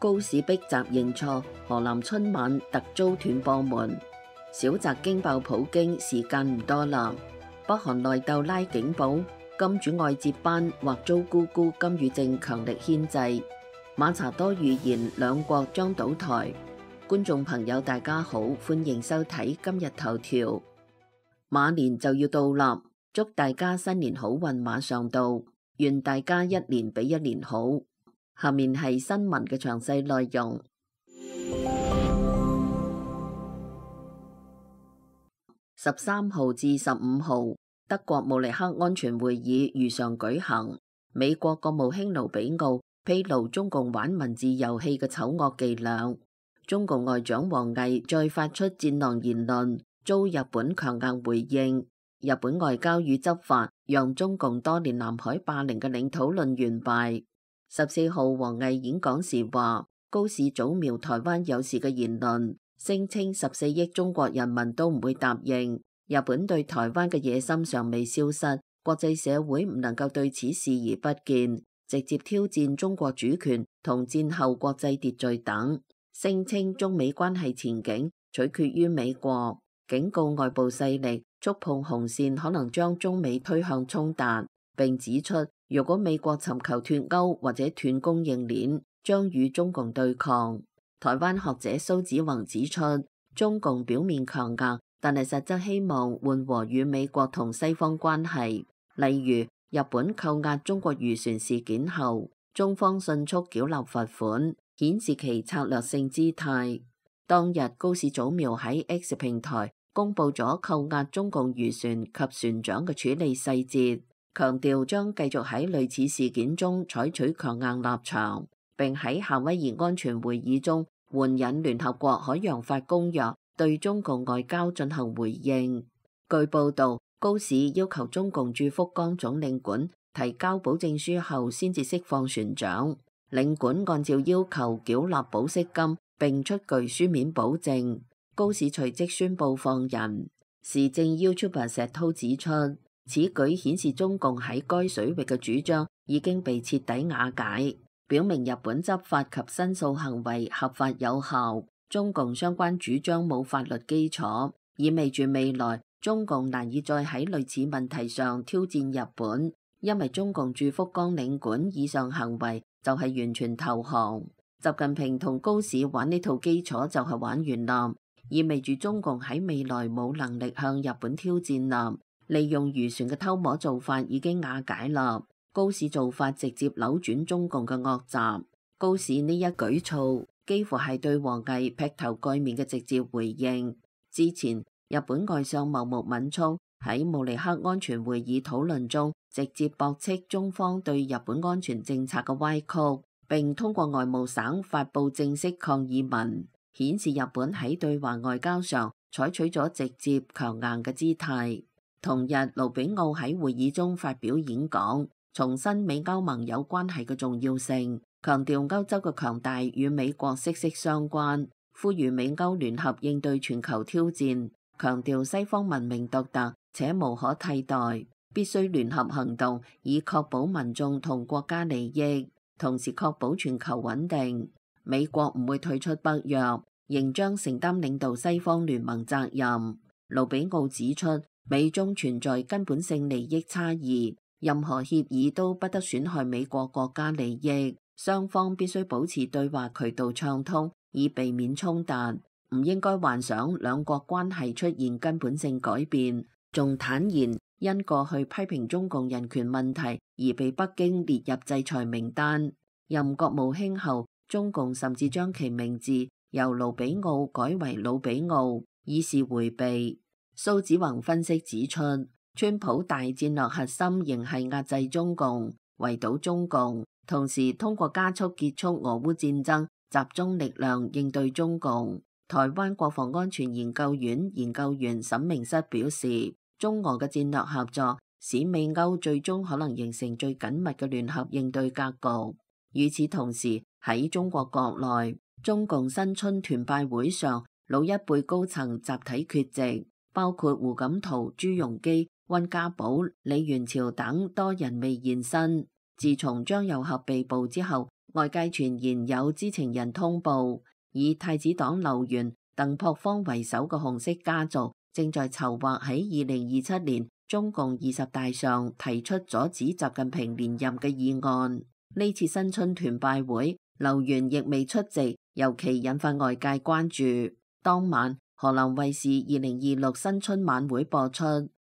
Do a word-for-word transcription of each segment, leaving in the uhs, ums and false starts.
高市逼習認錯，河南春晚突遭斷播門。小澤驚爆普京，時間唔多啦。北韓內鬥拉警報，金主愛接班或遭姑姑金與正強力牽制。馬查多預言兩國將倒台。觀眾朋友大家好，歡迎收睇今日頭條。馬年就要到啦，祝大家新年好運馬上到，願大家一年比一年好。下面係新聞嘅詳細內容。十三號至十五號，德國慕尼黑安全會議如常舉行。美國國務卿盧比奧披露中共玩文字遊戲嘅醜惡伎倆。中共外長王毅再發出戰狼言論，遭日本強硬回應。日本外交與執法讓中共多年南海霸凌嘅領土論完敗。十四號，王毅演講時話，高市早瞄台灣有事嘅言論，聲稱十四億中國人民都唔會答應。日本對台灣嘅野心尚未消失，國際社會唔能夠對此視而不見，直接挑戰中國主權同戰後國際秩序等。聲稱中美關係前景取決於美國，警告外部勢力觸碰紅線可能將中美推向衝突，並指出如果美國尋求脫鈎或者斷供應鏈，將與中共對抗。台灣學者蘇子宏指出，中共表面強硬，但係實質希望緩和與美國同西方關係。例如日本扣押中國漁船事件後，中方迅速繳納罰款，顯示其策略性姿態。當日高市早苗喺 X 平台公布咗扣押中共漁船及船長嘅處理細節，強調將繼續喺類似事件中採取強硬立場，並喺夏威夷安全會議中援引聯合國海洋法公約對中共外交進行回應。據報道，高市要求中共駐福岡總領館提交保證書後先至釋放船長，領館按照要求繳納保釋金並出具書面保證。高市隨即宣布放人。時政 YouTuber 石濤指出，此舉顯示中共喺該水域嘅主張已經被徹底瓦解，表明日本執法及申訴行為合法有效，中共相關主張冇法律基礎，意味住未來中共難以再喺類似問題上挑戰日本，因為中共駐福岡領館以上行為就係完全投降。習近平同高市玩呢套基礎就係玩完啦，意味住中共喺未來冇能力向日本挑戰啦。利用漁船嘅偷摸做法已經瓦解啦，高市做法直接扭轉中共嘅惡習。高市呢一舉措幾乎係對王毅劈頭蓋面嘅直接回應。之前日本外相茂木敏充喺慕尼黑安全會議討論中直接駁斥中方對日本安全政策嘅歪曲，並通過外務省發布正式抗議文，顯示日本喺對華外交上採取咗直接強硬嘅姿態。同日，盧比奧喺會議中發表演講，重申美歐盟友關係嘅重要性，強調歐洲嘅強大與美國息息相關，呼籲美歐聯合應對全球挑戰，強調西方文明獨特且無可替代，必須聯合行動以確保民眾同國家利益，同時確保全球穩定。美國唔會退出北約，仍將承擔領導西方聯盟責任。盧比奧指出，美中存在根本性利益差異，任何協議都不得損害美國國家利益，雙方必須保持對話渠道暢通，以避免衝突。唔應該幻想兩國關係出現根本性改變，仲坦言因過去批評中共人權問題而被北京列入制裁名單。任國務卿後，中共甚至將其名字由盧比奧改為魯比奧，以示迴避。蘇子宏分析指出，川普大戰略核心仍係壓制中共、圍堵中共，同時通過加速結束俄烏戰爭，集中力量應對中共。台灣國防安全研究院研究員沈明室表示，中俄嘅戰略合作使美歐最終可能形成最緊密嘅聯合應對格局。與此同時，喺中國國內，中共新春團拜會上，老一輩高層集體缺席，包括胡錦濤、朱鎔基、溫家寶、李元朝等多人未現身。自從張又俠被捕之後，外界傳言有知情人通報，以太子黨劉源、鄧樸方為首嘅紅色家族正在籌劃喺二零二七年中共二十大上提出阻止習近平連任嘅議案。呢次新春團拜會，劉源亦未出席，尤其引發外界關注。當晚，河南衛視二零二六新春晚會播出，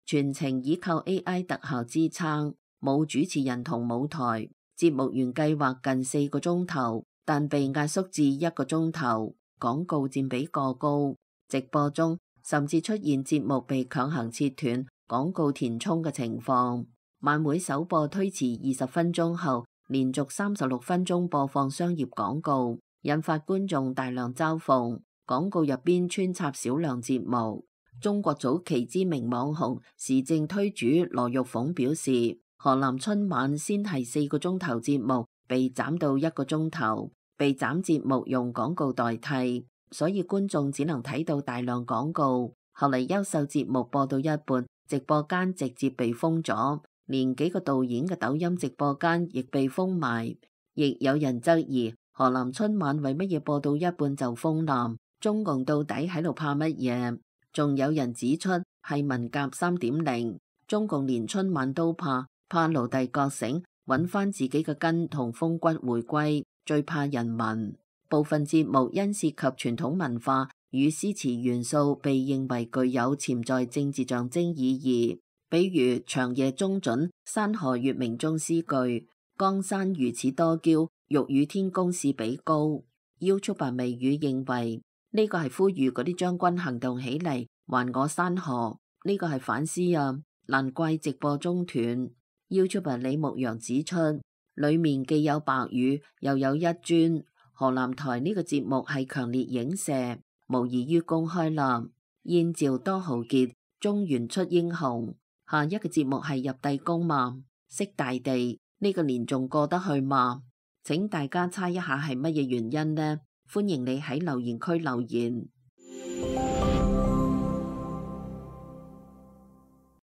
全程依靠 A I 特效支撐，冇主持人同舞台。節目原計劃近四個鐘頭，但被壓縮至一個鐘頭，廣告佔比過高。直播中甚至出現節目被強行切斷、廣告填充嘅情況。晚會首播推遲二十分鐘後，連續三十六分鐘播放商業廣告，引發觀眾大量嘲諷。廣告入邊穿插少量節目。中國早期知名網紅時政推主羅玉鳳表示，河南春晚先係四個鐘頭節目被斬到一個鐘頭，被斬節目用廣告代替，所以觀眾只能睇到大量廣告。後嚟優秀節目播到一半，直播間直接被封咗，連幾個導演嘅抖音直播間亦被封埋。亦有人質疑河南春晚為乜嘢播到一半就封欄，中共到底喺度怕乜嘢？仲有人指出係文革三點零，中共連春晚都怕。怕奴隸覺醒，揾翻自己嘅根同風骨回歸，最怕人民。部分節目因涉及傳統文化與詩詞元素，被認為具有潛在政治象徵意義。比如長夜中準、山河月明中詩句，江山如此多嬌，欲與天公試比高。YouTuber 微語認為呢個係呼籲嗰啲將軍行動起嚟，還我山河。呢個係反思啊，難怪直播中斷。YouTuber 李牧陽指出，裏面既有白羽，又有一尊。河南台呢個節目係強烈影射，無異於公開啦。燕趙多豪傑，中原出英雄。下一個節目係入帝宮嘛？識大地呢個年仲過得去嘛？請大家猜一下係乜嘢原因呢？歡迎你喺留言區留言。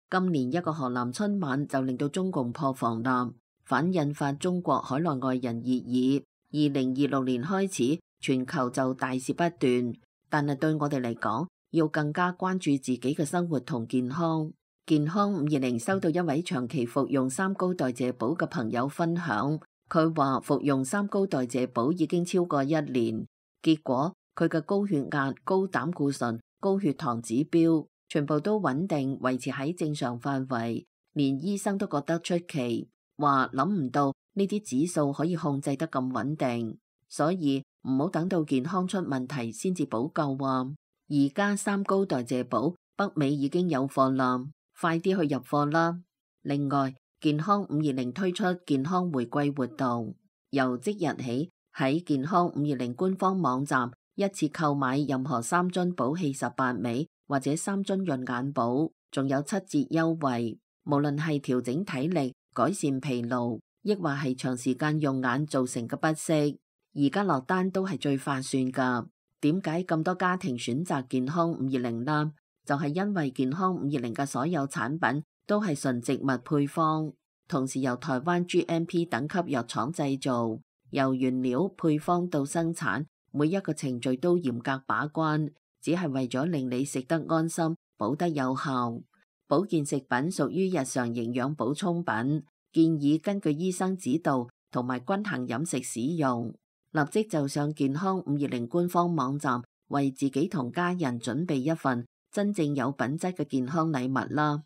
今年一個河南春晚就令到中共破防啦，反引發中國海內外人熱議。二零二六年開始，全球就大事不斷，但係對我哋嚟講，要更加關注自己嘅生活同健康。健康五二零收到一位長期服用三高代謝寶嘅朋友分享，佢話服用三高代謝寶已經超過一年，結果佢嘅高血壓、高膽固醇、高血糖指標全部都穩定維持喺正常範圍，連醫生都覺得出奇，話諗唔到呢啲指數可以控制得咁穩定，所以唔好等到健康出問題先至補救啊！而家三高代謝寶北美已經有貨啦，快啲去入貨啦！另外，健康五二零推出健康回歸活動，由即日起喺健康五二零官方網站一次購買任何三樽寶氣十八味或者三樽潤眼寶，仲有七折優惠。無論係調整體力、改善疲勞，亦或係長時間用眼造成嘅不適，而家落單都係最划算噶。點解咁多家庭選擇健康五二零啦？就係因為健康五二零嘅所有產品都係純植物配方，同時由台灣 G M P 等級藥廠製造，由原料配方到生產，每一個程序都嚴格把關，只係為咗令你食得安心，補得有效。保健食品屬於日常營養補充品，建議根據醫生指導同埋均衡飲食使用。立即就上健康五二零官方網站，為自己同家人準備一份真正有品質嘅健康禮物啦！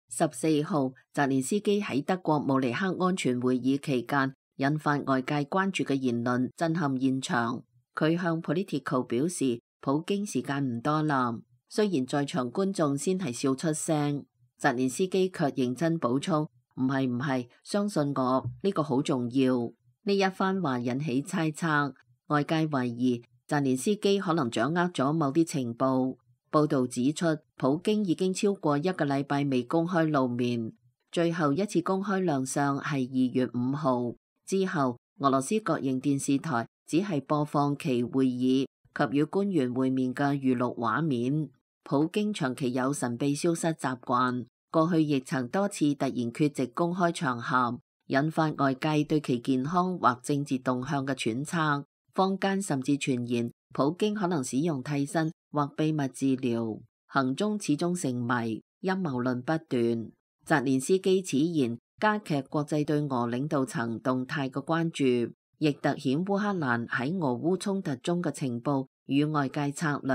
十四號，澤連斯基喺德國慕尼黑安全會議期間引發外界關注嘅言論震撼現場。佢向 Politico 表示，普京時間唔多啦。雖然在場觀眾先係笑出聲，澤連斯基卻認真補充：唔係唔係，相信我，呢個好重要。呢一番話引起猜測，外界懷疑澤連斯基可能掌握咗某啲情報。報道指出，普京已經超過一個禮拜未公開露面，最後一次公開亮相係二月五號。之後，俄羅斯國營電視台只係播放其會議及與官員會面嘅預錄畫面。普京長期有神秘消失習慣，過去亦曾多次突然缺席公開場合，引發外界對其健康或政治動向嘅揣測。坊間甚至傳言普京可能使用替身或秘密治療，行蹤始終成謎，陰謀論不斷。澤連斯基此言加劇國際對俄領導層動態嘅關注，亦凸顯烏克蘭喺俄烏衝突中嘅情報與外界策略。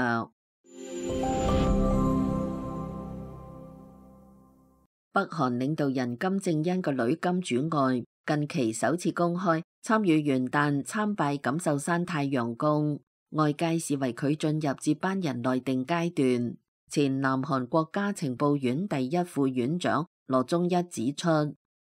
北韓領導人金正恩個女金主愛近期首次公開參與元旦參拜錦繡山太陽宮，外界視為佢進入接班人內定階段。前南韓國家情報院第一副院長羅中一指出，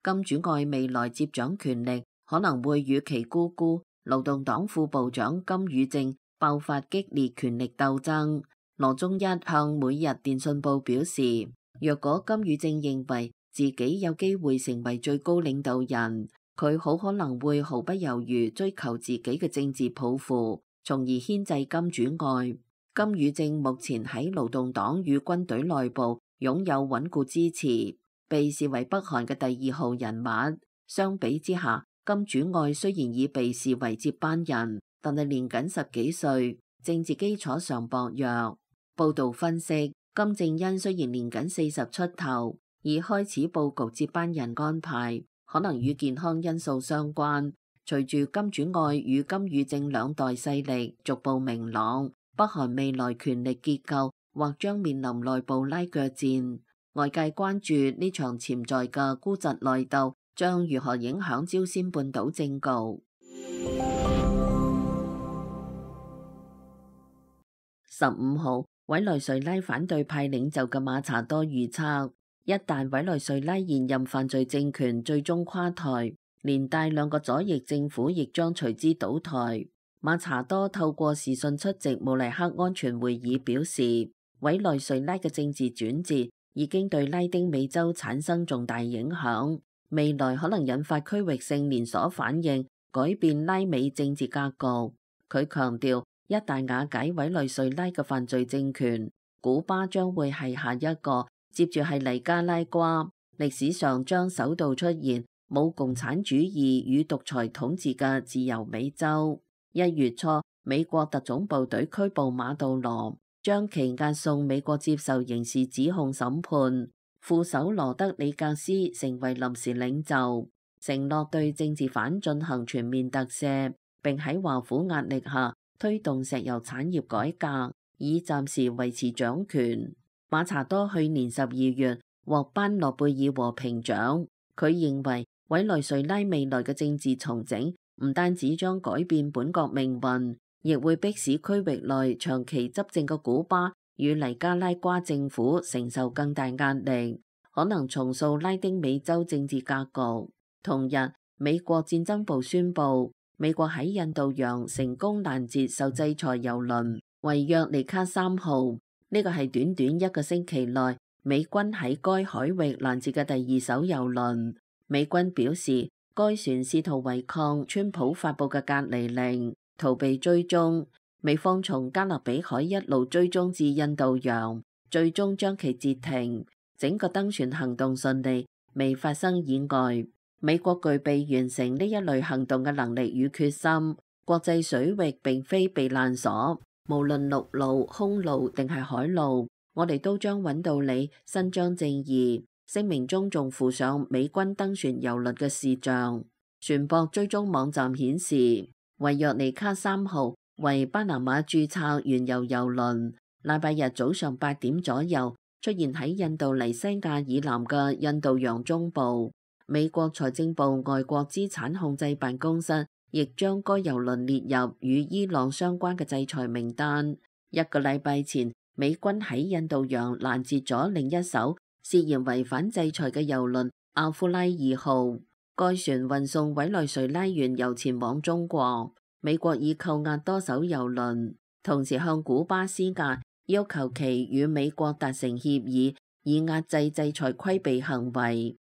金主愛未來接掌權力可能會與其姑姑勞動黨副部長金與正爆發激烈權力鬥爭。羅中一向每日電訊報表示，若果金與正認為自己有機會成為最高領導人，佢好可能會毫不猶豫追求自己嘅政治抱負，從而牽制金主愛。金與正目前喺勞動黨與軍隊內部擁有穩固支持，被視為北韓嘅第二號人物。相比之下，金主愛雖然已被視為接班人，但係年僅十幾歲，政治基礎上薄弱。報道分析，金正恩雖然年僅四十出頭，已開始佈局接班人安排，可能與健康因素相關。隨住金主愛與金與正兩代勢力逐步明朗，北韓未來權力結構或將面臨內部拉鋸戰。外界關注呢場潛在嘅孤侄內鬥將如何影響朝鮮半島政局。十五號，委內瑞拉反對派領袖嘅馬查多預測，一旦委內瑞拉現任犯罪政權最終垮台，連帶兩個左翼政府亦將隨之倒台。馬查多透過視訊出席慕尼黑安全會議表示，委內瑞拉嘅政治轉折已經對拉丁美洲產生重大影響，未來可能引發區域性連鎖反應，改變拉美政治格局。佢強調，一旦瓦解委內瑞拉嘅犯罪政權，古巴將會係下一個，接住係尼加拉瓜，歷史上將首度出現冇共產主義與獨裁統治嘅自由美洲。一月初，美國特種部隊拘捕馬杜羅，將其押送美國接受刑事指控審判。副手羅德里格斯成為臨時領袖，承諾對政治犯進行全面特赦，並喺華府壓力下推動石油產業改革，以暫時維持掌權。馬查多去年十二月獲頒諾貝爾和平獎，佢認為委內瑞拉未來嘅政治重整唔單止將改變本國命運，亦會迫使區域內長期執政嘅古巴與尼加拉瓜政府承受更大壓力，可能重塑拉丁美洲政治格局。同日，美國戰爭部宣布，美國喺印度洋成功攔截受制裁油輪維約尼卡三號，呢個係短短一個星期內美軍喺該海域攔截嘅第二艘油輪。美軍表示，該船試圖違抗川普發布嘅隔離令，逃避追蹤。美方從加勒比海一路追蹤至印度洋，最終將其截停。整個登船行動順利，未發生意外。美國具備完成呢一類行動嘅能力與決心。國際水域並非避難所，無論陸路、空路定係海路，我哋都將揾到你，伸張正義。聲明中仲附上美軍登船郵輪嘅視像。船舶追蹤網站顯示，維約尼卡三號為巴拿馬註冊原油郵輪，禮拜日早上八點左右出現喺印度尼西亞以南嘅印度洋中部。美國財政部外國資產控制辦公室亦將該郵輪列入與伊朗相關嘅制裁名單。一個禮拜前，美軍喺印度洋攔截咗另一艘涉嫌違反制裁嘅郵輪阿夫拉二號，該船運送委內瑞拉原油前往中國。美國已扣押多艘郵輪，同時向古巴施壓，要求其與美國達成協議，以壓制制裁規避行為。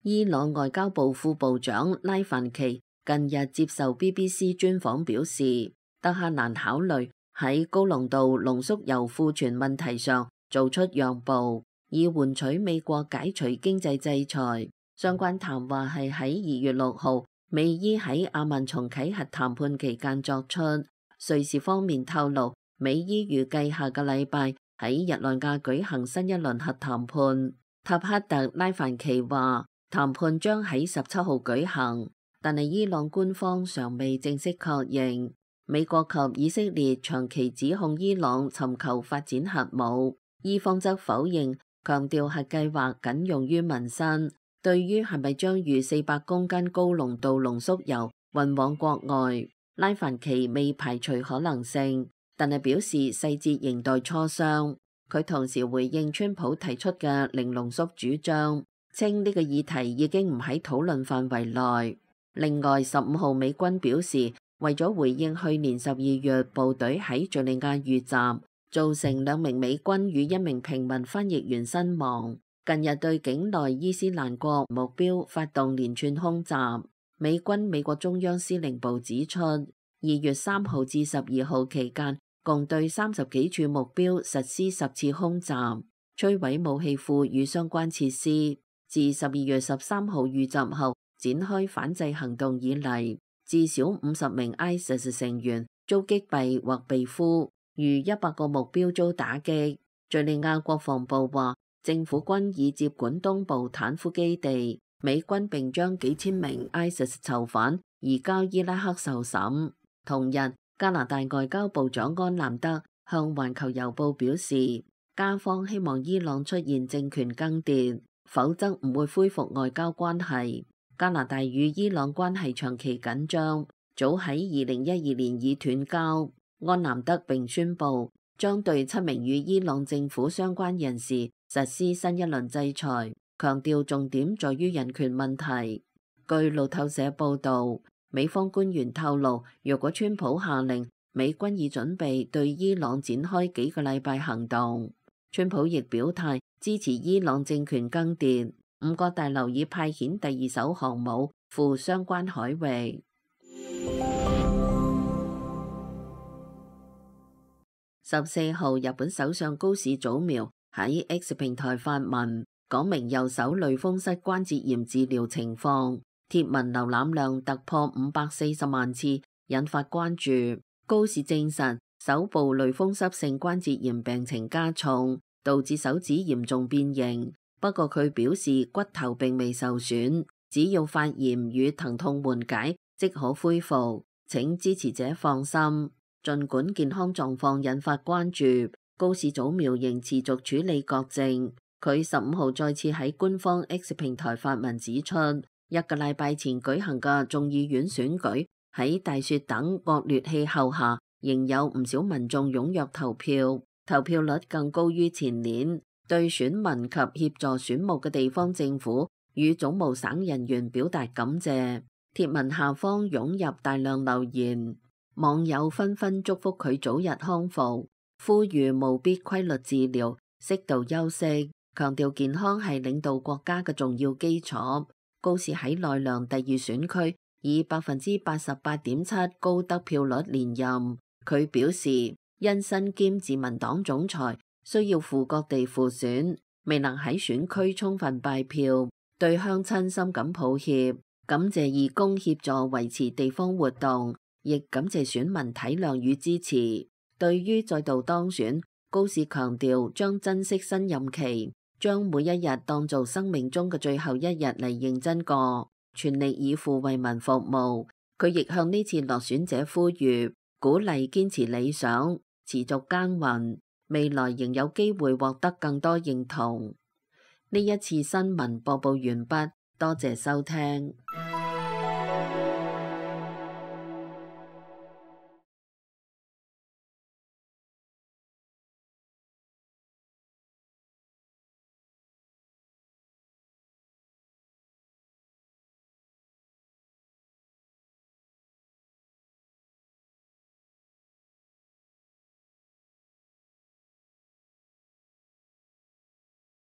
伊朗外交部副部長拉凡奇近日接受 B B C 專訪表示，德黑蘭考慮喺高濃度濃縮鈾庫存問題上做出讓步，以換取美國解除經濟制裁。相關談話係喺二月六號美伊喺阿曼重啟核談判期間作出。瑞士方面透露，美伊預計下個禮拜喺日內瓦舉行新一輪核談判。塔克特拉凡奇話，談判將喺十七號舉行，但係伊朗官方尚未正式確認。美國及以色列長期指控伊朗尋求發展核武，伊方則否認，強調核計劃僅用於民生。對於係咪將逾四百公斤高濃度濃縮鈾運往國外，拉凡奇未排除可能性，但係表示細節仍待磋商。佢同時回應川普提出嘅零濃縮主張，稱呢個議題已經唔喺討論範圍內。另外，十五號美軍表示，為咗回應去年十二月部隊喺敘利亞遇襲，造成兩名美軍與一名平民翻譯員身亡，近日對境內伊斯蘭國目標發動連串空襲。美軍美國中央司令部指出，二月三號至十二號期間，共對三十幾處目標實施十次空襲，摧毀武器庫與相關設施。自十二月十三號遇襲後展開反制行動以嚟，至少五十名 ISIS 成員遭擊斃或被俘，逾一百個目標遭打擊。敘利亞國防部話，政府軍已接管東部坦夫基地，美軍並將幾千名 ISIS 囚犯移交伊拉克受審。同日，加拿大外交部長安南德向環球郵報表示，加方希望伊朗出現政權更迭，否則唔會恢復外交關係。加拿大與伊朗關係長期緊張，早喺二零一二年已斷交。安南德並宣布將對七名與伊朗政府相關人士實施新一輪制裁，強調重點在於人權問題。據路透社報導，美方官員透露，若果川普下令，美軍已準備對伊朗展開幾個禮拜行動。川普亦表態支持伊朗政權更迭。五角大樓已派遣第二艘航母赴相關海域。十四號，日本首相高市早苗喺 X 平台發文，講明右手類風濕關節炎治療情況。貼文瀏覽量突破五百四十萬次，引發關注。高市證實手部類風濕性關節炎病情加重，導致手指嚴重變形。不過佢表示骨頭並未受損，只要發炎與疼痛緩解即可恢復，請支持者放心。儘管健康狀況引發關注，高市早苗仍持續處理國政。佢十五號再次喺官方 X 平台發文指出，一個禮拜前舉行嘅眾議院選舉喺大雪等惡劣氣候下，仍有唔少民眾踴躍投票，投票率更高於前年。對選民及協助選務嘅地方政府與總務省人員表達感謝。貼文下方湧入大量留言，網友紛紛祝福佢早日康復，呼籲務必規律治療、適度休息，強調健康係領導國家嘅重要基礎。高市喺奈良第二選區以百分之八十八點七高得票率連任。佢表示，因身兼自民黨總裁，需要赴各地輔選，未能喺選區充分拜票，對鄉親深感抱歉，感謝義工協助維持地方活動，亦感謝選民體諒與支持。對於再度當選，高市強調將珍惜新任期，將每一日當做生命中嘅最後一日嚟認真過，全力以赴為民服務。佢亦向呢次落選者呼籲，鼓勵堅持理想，持續耕耘。未來仍有機會獲得更多認同。呢一次新聞播報完畢，多謝收聽。